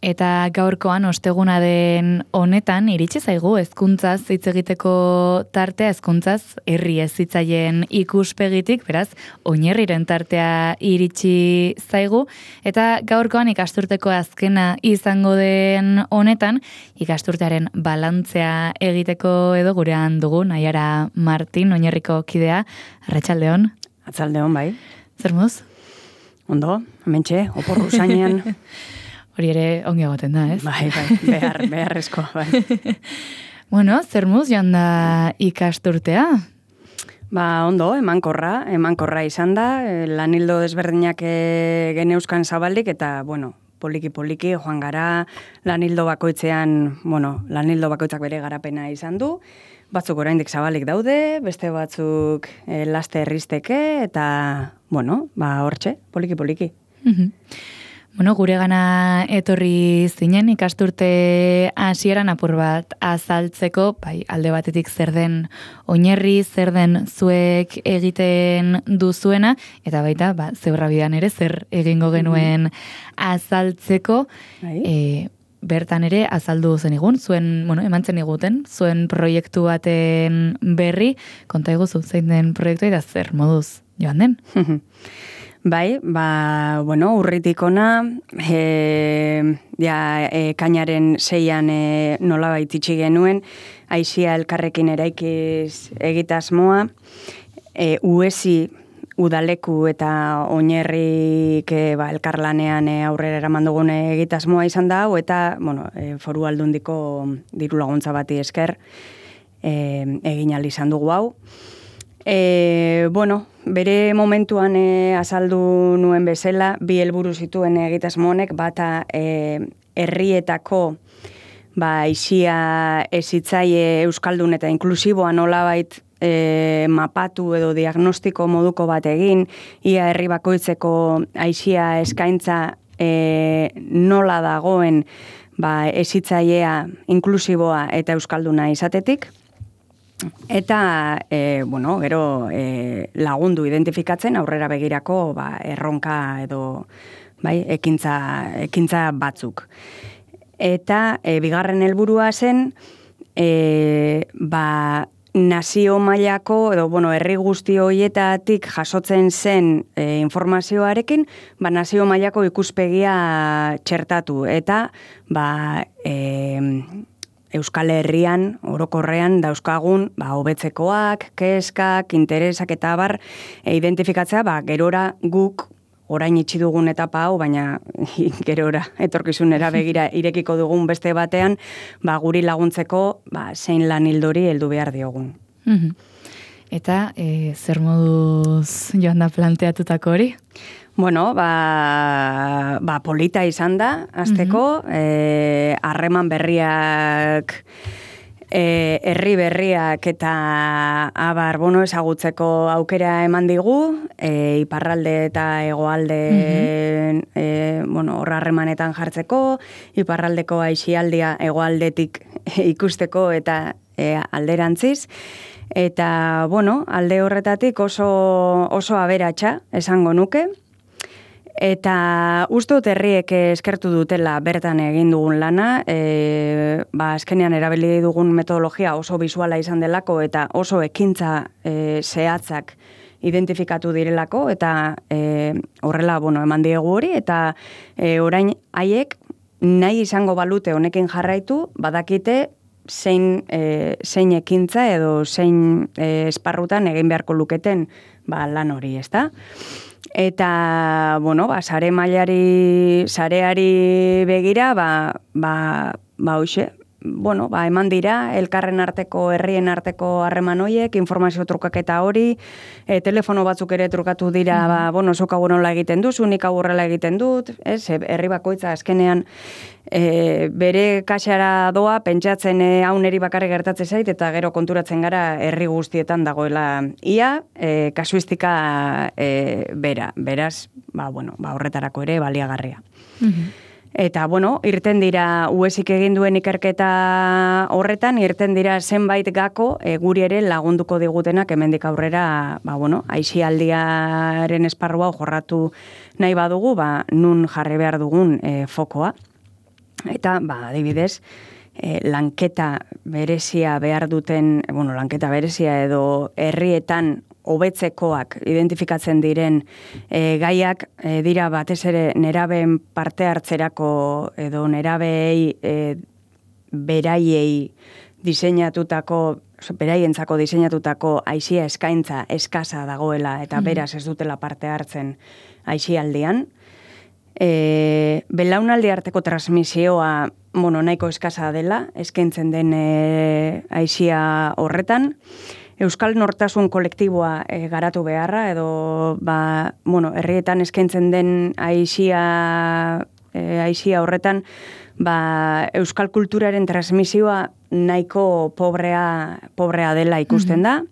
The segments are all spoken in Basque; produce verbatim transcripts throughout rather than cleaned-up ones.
Eta gaurkoan osteguna den honetan iritsi zaigu hezkuntzaz hitz egiteko tartea, hezkuntzaz herri hezitzaien ikuspegitik, beraz, oinarriren tartea iritsi zaigu, eta gaurkoan ikasturteko azkena izango den honetan, ikasturtearen balantzea egiteko edo gurean dugu, Naiara Martin, oinarriko kidea, arratsaldeon. Arratsaldeon, bai. Zer moduz? Ondo, hementxe, oporru zainean. Hori ere ongi egoten da, ez? Bai, bai, behar, beharrezko, bai. Bueno, zer moduz joan da ikasturtea? Ba, ondo, emankorra, emankorra izan da, lanildo desberdinak geneuzkan zabaldik, eta, bueno, poliki-poliki joan gara, lanildo bakoitzean, bueno, lanildo bakoitzak bere garapena izan du, batzuk oraindik zabalik daude, beste batzuk eh, laste erristeke, eta, bueno, ba, hortxe, poliki-poliki. Bueno, gure gana etorri zinen ikasturte hasieran apur bat azaltzeko, bai, alde batetik zer den oinarri, zer den zuek egiten duzuena, eta baita, ba, zeurra bidan ere zer egingo genuen azaltzeko, e, bertan ere azaldu zen igun, zuen, bueno, eman zen iguten, zuen proiektu baten berri, konta eguzu, zein den proiektu eta zer moduz joan den? Bai, ba, bueno, urritik ona, e, ja, e, kainaren seian e, nola baititsi genuen, aizia elkarrekin eraikiz egitasmoa, e, uesi udaleku eta oinarrik e, ba, elkarlanean e, aurrera eraman dugun egitasmoa izan da, hau eta, bueno, e, foru aldundiko diru laguntza bati esker e, egin ahal izan dugu hau. E, bueno, bere momentuan e, azaldu nuen bezala, bi helburu zituen egitasmo honek, bata e, herrietako ba, aisia hezitzaile euskaldun eta inklusiboa nolabait e, mapatu edo diagnostiko moduko bat egin, ia herri bakoitzeko aisia eskaintza e, nola dagoen ba, hezitzailea inklusiboa eta euskalduna izatetik. Eta, e, bueno, gero e, lagundu identifikatzen aurrera begirako ba, erronka edo bai, ekintza, ekintza batzuk. Eta e, bigarren helburua zen, e, ba, nazio mailako edo bueno, herri guzti horietatik jasotzen zen e, informazioarekin, ba, nazio mailako ikuspegia txertatu. Eta, ba, e, Euskal Herrian, orokorrean, dauzkagun, ba, hobetzekoak, keskak, interesak eta abar, e, identifikatzea, ba, gerora guk orain itxi dugun etapa hau, baina gerora etorkizunera begira irekiko dugun beste batean, ba, guri laguntzeko, ba, zein lan hildori heldu behar diogun. Eta, e, zer moduz joan da planteatutako hori? Bueno, ba, ba polita izan da, azteko, eh, harreman berriak, eh, herri berriak eta abar, bueno, ezagutzeko aukera eman digu, eh, iparralde eta hegoalde, eh, bueno, horra harremanetan jartzeko, iparraldeko aisialdia hegoaldetik ikusteko eta eh, alderantziz. Eta, bueno, alde horretatik oso, oso aberatsa esango nuke. Eta uste dut herriek eskertu dutela bertan egin dugun lana, e, ba, azkenean erabili dugun metodologia oso bisuala izan delako eta oso ekintza e, zehatzak identifikatu direlako, eta e, horrela, bueno, eman diegu hori, eta e, orain haiek nahi izango balute honekin jarraitu, badakite zein, e, zein ekintza edo zein e, esparrutan egin beharko luketen ba, lan hori, ezta? Eta, bueno, ba, sare mailari, sareari begira, ba, ba, ba, hoxe, bueno, ba, eman dira, elkarren arteko, herrien arteko harreman horiek, informazio trukaketa hori, e, telefono batzuk ere trukatu dira, mm-hmm. ba, bueno, zuk hau nola egiten duzu, nik hau horrela egiten dut, ez, herri bakoitza azkenean e, bere kaxara doa, pentsatzen e, hau neri bakarrik gertatzen zait, eta gero konturatzen gara herri guztietan dagoela ia, e, kasuistika e, bera, beraz, ba, bueno, ba, horretarako ere baliagarria. Mm-hmm. Eta, bueno, irten dira uesik egin duen ikerketa horretan, irten dira zenbait gako e, guri ere lagunduko digutenak hemendik aurrera, ba, bueno, aisialdiaren esparrua jorratu nahi badugu, ba, nun jarri behar dugun e, fokoa. Eta, ba, adibidez, e, lanketa berezia behar duten, bueno, lanketa berezia edo herrietan hobetzekoak identifikatzen diren e, gaiak e, dira batez ere nerabeen parte hartzerako edo nerabei e, beraiei diseinatutako, beraientzako diseinatutako aisia eskaintza eskasa dagoela eta mm. beraz ez dutela parte hartzen aisialdian. E, belaunaldi arteko transmisioa bueno, nahiko eskasa dela, eskaintzen den e, aisia horretan. Euskal Nortasun kolektiboa e, garatu beharra, edo ba, bueno, herrietan eskaintzen den aisia, e, aisia horretan, ba, euskal kulturaren transmisioa nahiko pobrea, pobrea dela ikusten da.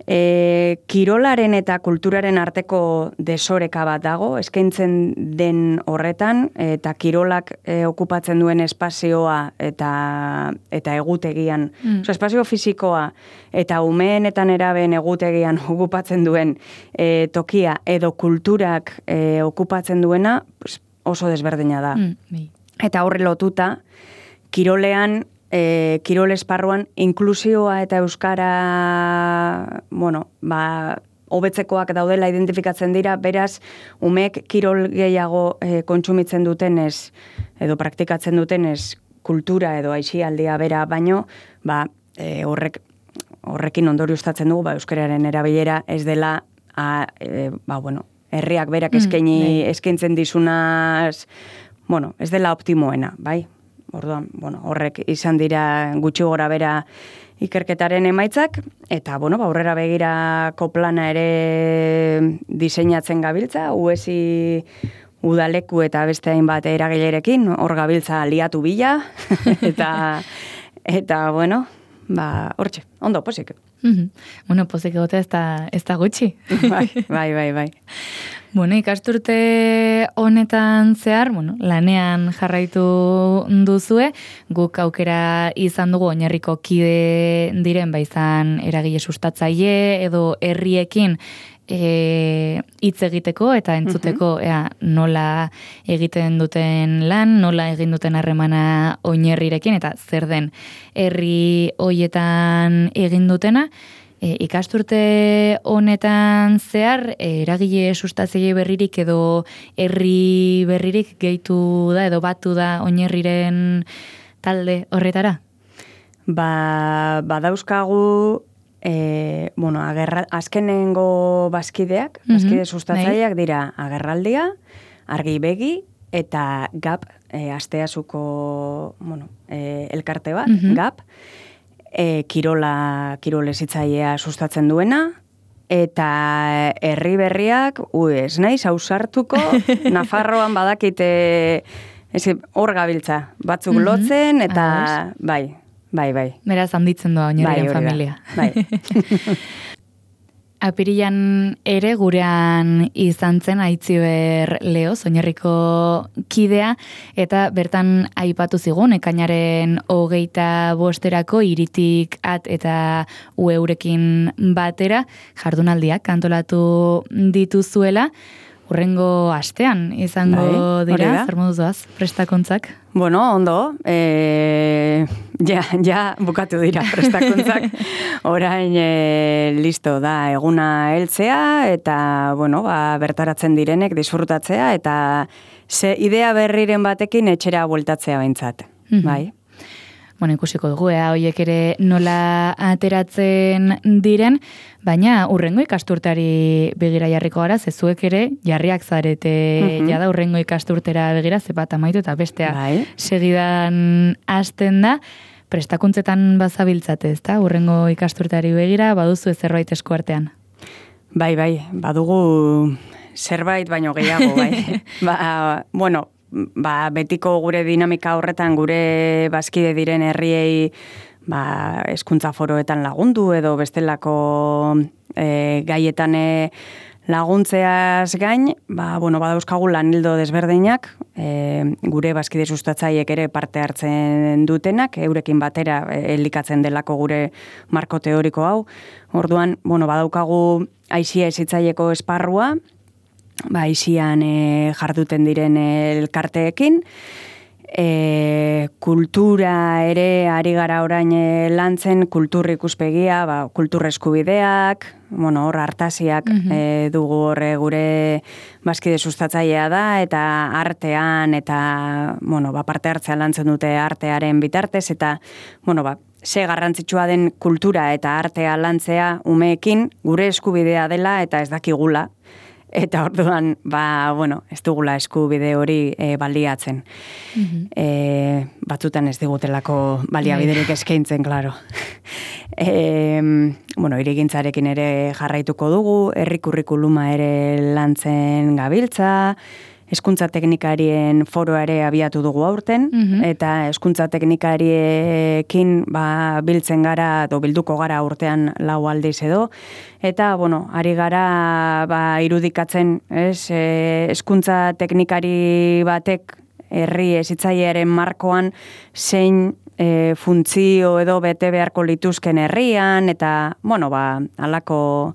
E, kirolaren eta kulturaren arteko desoreka bat dago, eskaintzen den horretan, eta kirolak e, okupatzen duen espazioa eta, eta egutegian, mm. Oso, espazio fisikoa eta umeen eta nerabeen egutegian okupatzen duen e, tokia edo kulturak e, okupatzen duena oso desberdina da. Mm. Eta horre lotuta, kirolean, E, kirol esparruan inklusioa eta euskara, bueno, ba, hobetzekoak daudela identifikatzen dira, beraz, umek kirol gehiago e, kontsumitzen dutenez, edo praktikatzen dutenez, kultura edo aisialdia bera baino, ba, e, horrek, horrekin ondorioztatzen dugu, ba, euskararen erabilera ez dela, a, e, ba, bueno, herriak berak eskaini, mm, eskaintzen dizunaz, bueno, ez dela optimoena, bai? Orduan, bueno, horrek izan dira gutxi gora bera ikerketaren emaitzak, eta, bueno, ba, aurrera begirako plana ere diseinatzen gabiltza, U E S I udaleku eta beste hainbat eragilerekin, hor gabiltza liatu bila, eta, eta, bueno, ba, hortxe, ondo, posik. Mm-hmm. Bueno, posik egotea ez da, ez da gutxi. Bai, bai, bai, bai. Bueno, ikasturte honetan zehar, bueno, lanean jarraitu duzue, guk aukera izan dugu oinarriko kide diren, ba izan eragile sustatzaile edo herriekin e, hitz egiteko eta entzuteko uh-huh. ea, nola egiten duten lan, nola egin duten harremana oinarrirekin eta zer den herri hoietan egin dutena. E, ikasturte honetan zehar, e, eragile sustatzaile berririk edo herri berririk gehitu da edo batu da oinarriren talde horretara? Ba, badauzkagu, e, bueno, agerra, azkenengo bazkideak, bazkide sustatzaileak dira agerraldia, argi begi eta gap, e, asteazuko, bueno, e, elkarte bat, uh-huh. gap, E, kirola, kirolezitzailea sustatzen duena, eta herri berriak, ui, ez naiz, hausartuko, Nafarroan badakite, ez, hor gabiltza, batzuk mm-hmm. lotzen, eta ah, bai, bai, bai. Beraz, handitzen doa oinarrien bai, familia. Bai. Apirilan ere gurean izan zen Aitziber Leoz, oinarriko kidea, eta bertan aipatu zigun, ekainaren hogeita bosterako iritik at eta ueurekin batera, jardunaldiak antolatu dituzuela, hurrengo astean izango bai, dira, zer moduz doaz, prestakuntzak? Bueno, ondo, e, ja, ja bukatu dira prestakuntzak, orain e, listo da eguna heltzea, eta bueno, ba, bertaratzen direnek disfrutatzea, eta ze idea berriren batekin etxera bueltatzea behintzat, mm-hmm. bai. Bueno, ikusiko dugu, ea, hoiek ere nola ateratzen diren, baina urrengo ikasturtari begira jarriko gara, zezuek ere jarriak zarete mm-hmm. jada urrengo ikasturtera begira, zepat amaitu eta bestea bai. Segidan hasten da, prestakuntzetan bazabiltzate, ezta? Urrengo ikasturtari begira, baduzu zerbait esku artean. Bai, bai, badugu zerbait baino gehiago, bai. ba, bueno, ba, betiko gure dinamika horretan gure bazkide diren herriei ba, hezkuntza foroetan lagundu edo bestelako e, gaietan laguntzeaz gain, ba, bueno, badauzkagu lanildo desberdinak, e, gure bazkide sustatzaiek ere parte hartzen dutenak, eurekin batera elikatzen delako gure marko teoriko hau. Orduan, bueno, badaukagu aisia hezitzaileko esparrua, ba, izian e, jarduten diren elkarteekin, E, kultura ere ari gara orain e, lantzen, kultur ikuspegia, ba, kultur eskubideak, bueno, hor hartasiak mm -hmm. e, dugu horre gure bazkide sustatzailea da, eta artean, eta, bueno, ba, parte hartzea lantzen dute artearen bitartez, eta, bueno, ba, ze garrantzitsua den kultura eta artea lantzea umeekin gure eskubidea dela eta ez dakigula. Eta orduan, ba, bueno, ez dugula eskubide hori e, baliatzen. Mm-hmm. E, batzutan ez digutelako baliabiderik eskaintzen, klaro. e, bueno, irigintzarekin ere jarraituko dugu, herri kurrikuluma ere lantzen gabiltza, hezkuntza teknikarien foroa ere abiatu dugu aurten, mm-hmm. eta hezkuntza teknikariekin ba, biltzen gara, edo bilduko gara urtean lau aldiz edo, eta, bueno, ari gara ba, irudikatzen, ez, hezkuntza teknikari batek herri hezitzailearen markoan zein e, funtzio edo bete beharko lituzken herrian, eta, bueno, ba, alako,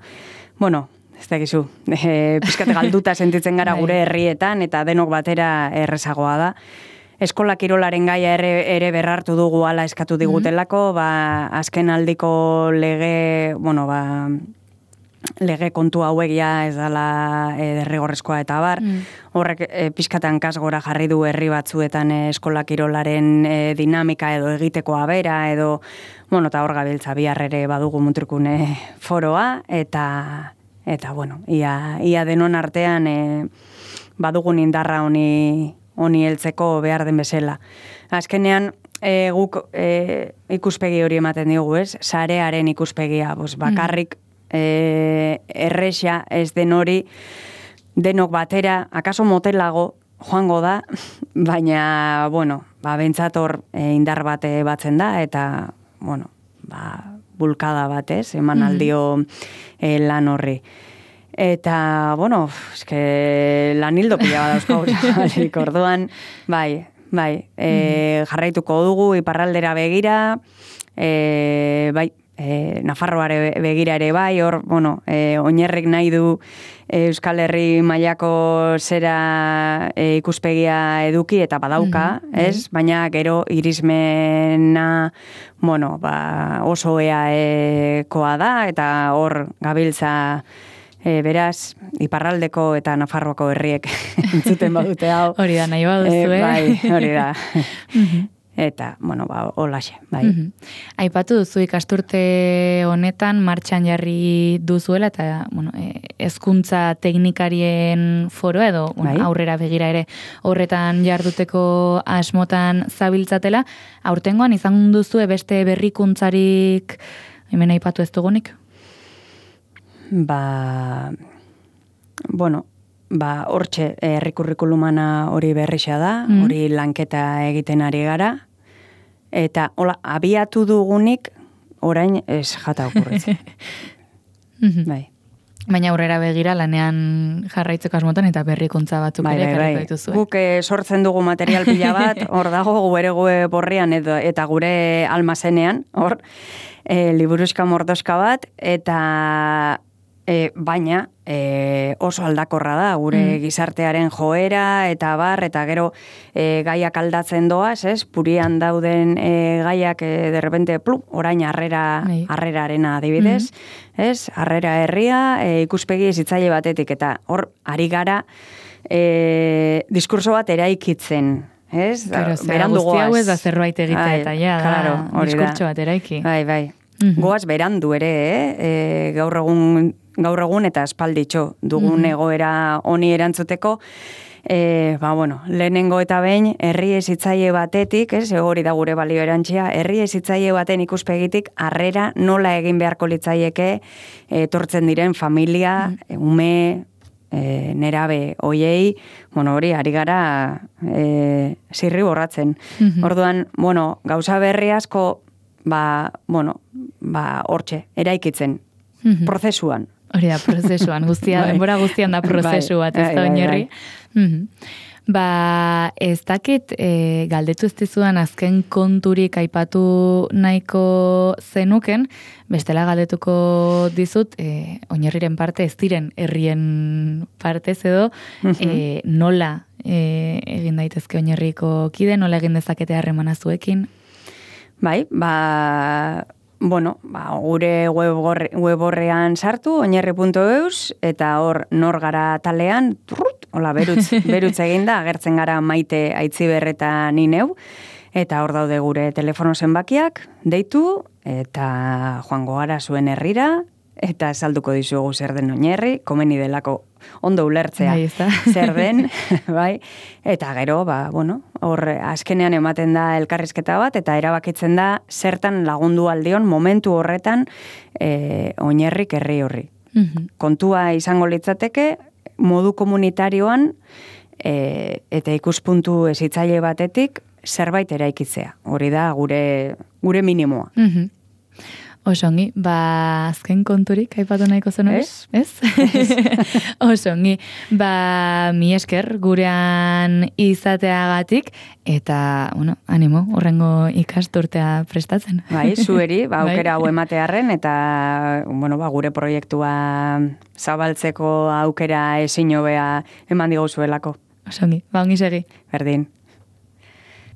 bueno, ez dakizu, e, pizkat galduta sentitzen gara gure herrietan, eta denok batera errezagoa da. Eskola kirolaren gaia ere, ere berrartu dugu ala eskatu digutelako, ba, azken aldiko lege, bueno, ba, lege kontu hauek ja ez dela e, derrigorrezkoa eta bar, mm. horrek e, pizkatan kasgora jarri du herri batzuetan e, eskola kirolaren e, dinamika edo egitekoa bera, edo, bueno, eta hor gabiltza bihar ere badugu Mutrikune foroa, eta Eta, bueno, ia, ia denon artean e, badugun indarra honi, honi heltzeko behar den bezala. Azkenean, e, guk e, ikuspegi hori ematen diogu, ez? Sarearen ikuspegia, bos, bakarrik e, erresa ez den hori, denok batera, akaso motelago joango da, baina, bueno, ba, bentsator e, indar bate batzen da, eta, bueno, ba, bulkada batez, eman aldio e, lan horri. Eta, bueno, eske lan hildo pila badauzko, orduan, bai, bai, e, jarraituko dugu iparraldera begira, e, bai, e, Nafarroare begira ere bai, hor, bueno, e, oinerrik nahi du Euskal Herri mailako zera e, ikuspegia eduki eta badauka, mm-hmm. ez? Baina gero irismena, bueno, ba, oso eaekoa da, eta hor gabiltza e, beraz, iparraldeko eta Nafarroako herriek entzuten badute hau. Hori da, nahi baduzu, e, bai, hori da. Eta, bueno, ba, holaxe, bai. Mm-hmm. Aipatu duzu ikasturte honetan martxan jarri duzuela eta, bueno, hezkuntza teknikarien foro edo bueno, bai. Aurrera begira ere horretan jarduteko asmotan zabiltzatela. Aurtengoan izan duzu beste berrikuntzarik hemen aipatu ez dugunik? Ba, bueno, ba, hortxe herri kurrikulumana hori berrixa da, mm-hmm. hori lanketa egiten ari gara. Eta, hola, abiatu dugunik, orain ez jata okurritzen. Bai. Baina aurrera begira lanean jarraitzeko asmotan eta berrikuntza batzuk bai, ere bai, bai. Dituzu. Guk eh, sortzen dugu material pila bat, hor dago gure gue borrian edo, eta gure almazenean, hor, e, liburuska mordoska bat, eta e, baina e, oso aldakorra da, gure mm. gizartearen joera, eta bar, eta gero e, gaiak aldatzen doaz, ez? Purian dauden e, gaiak e, derrepente, plup, orain harrera, Nei. harrerarena adibidez, mm. ez? Harrera herria, e, ikuspegi zitzaile batetik, eta hor, ari gara, e, diskurso bat eraikitzen, ez? Claro, berandu goaz. Guzti hau ez da zerbait egitea, eta ja, claro, da, diskurtso bat eraiki. Bai, bai. Mm-hmm. Goaz berandu ere, eh? E, gaur egun gaur egun eta espalditxo dugun mm-hmm. egoera honi erantzuteko, e, ba, bueno, lehenengo eta behin, herri hezitzaile batetik, ez, hori da gure balio erantzia, herri hezitzaile baten ikuspegitik, harrera nola egin beharko litzaieke, etortzen diren familia, mm-hmm. ume, e, nerabe hoiei, bueno, hori, ari gara e, zirri borratzen. Mm-hmm. Orduan, bueno, gauza berri asko, ba, bueno, ba, hortxe, eraikitzen, mm-hmm. prozesuan. Hori da, prozesuan, guztia, bai. Denbora guztian da prozesu bat, ez da oinarri. Mm-hmm. Ba, ez dakit, e, galdetu ez dizudan azken konturik aipatu nahiko zenuken, bestela galdetuko dizut, e, oinarriren parte ez diren herrien partez edo, mm-hmm. e, nola e, egin daitezke oinarriko kide, nola egin dezakete harremana zuekin? Bai, ba, bueno, ba, gure web, web horrean sartu, oinarri puntu eus, eta hor nor gara talean, turrut, hola, berutz, berutz eginda, agertzen gara Maite Aitziber eta ni neu, eta hor daude gure telefono zenbakiak, deitu, eta joango gara zuen herrira, eta salduko dizugu zer den oinarri, komeni delako ondo ulertzea Bai, ezta? zer den, bai, eta gero, ba, bueno, hor azkenean ematen da elkarrizketa bat, eta erabakitzen da zertan lagundu aldion momentu horretan e, oinarrik herri horri. Mhm. Kontua izango litzateke, modu komunitarioan e, eta ikuspuntu hezitzaile batetik zerbait eraikitzea. Hori da gure gure minimoa. Mhm. Osongi, ba, azken konturik aipatu nahiko zen hori? Ez? Ez? Osongi, ba, mi esker gurean izateagatik, eta, bueno, animo, horrengo ikasturtea prestatzen. Bai, zueri, ba, Bai. aukera hau ematearren, eta, bueno, ba, gure proiektua zabaltzeko aukera ezin hobea eman digu zuelako. Osongi, ba, ongi segi. Berdin.